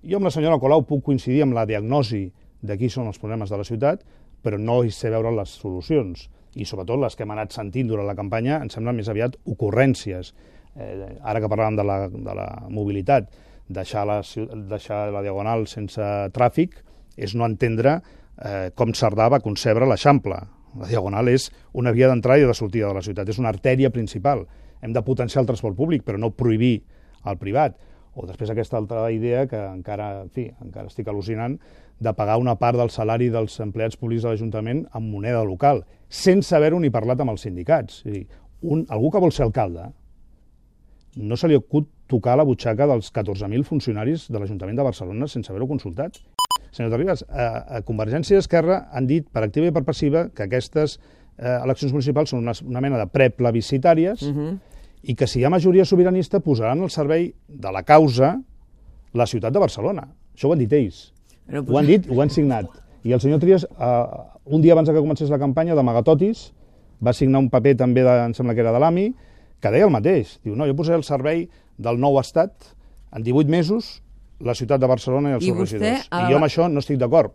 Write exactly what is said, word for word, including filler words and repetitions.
Jo amb la senyora Colau puc coincidir amb la diagnosi de qui són els problemes de la ciutat, però no hi sé veure les solucions. I sobretot les que hem anat sentint durant la campanya em semblen més aviat ocurrències. Eh, ara que parlàvem de la, de la mobilitat, deixar la, deixar la Diagonal sense tràfic és no entendre eh, com Cerdà va concebre l'Eixample. La Diagonal és una via d'entrada i de sortida de la ciutat, és una artèria principal. Hem de potenciar el transport públic, però no prohibir el privat. O després aquesta altra idea que encara, en fi, encara estic al·lucinant, de pagar una part del salari dels empleats públics de l'Ajuntament amb moneda local, sense haver-ho ni parlat amb els sindicats. És a dir, un, algú que vol ser alcalde no se li acut tocar la butxaca dels catorze mil funcionaris de l'Ajuntament de Barcelona sense haver-ho consultat. Senyor Terribas, a, a Convergència i Esquerra han dit per activa i per passiva que aquestes eh, eleccions municipals són una, una mena de preplebiscitàries uh-huh. i que si hi ha majoria sobiranista posaran al servei de la causa la ciutat de Barcelona. Això ho han dit ells. Però... Ho han dit, ho han signat. I el senyor Trias, eh, un dia abans que comencés la campanya, d'amagatotis, va signar un paper també, de, em sembla que era de l'A M I, que deia el mateix. Diu, no, jo posaré al servei del nou estat en divuit mesos la ciutat de Barcelona i els seus regidors. I jo amb això no estic d'acord.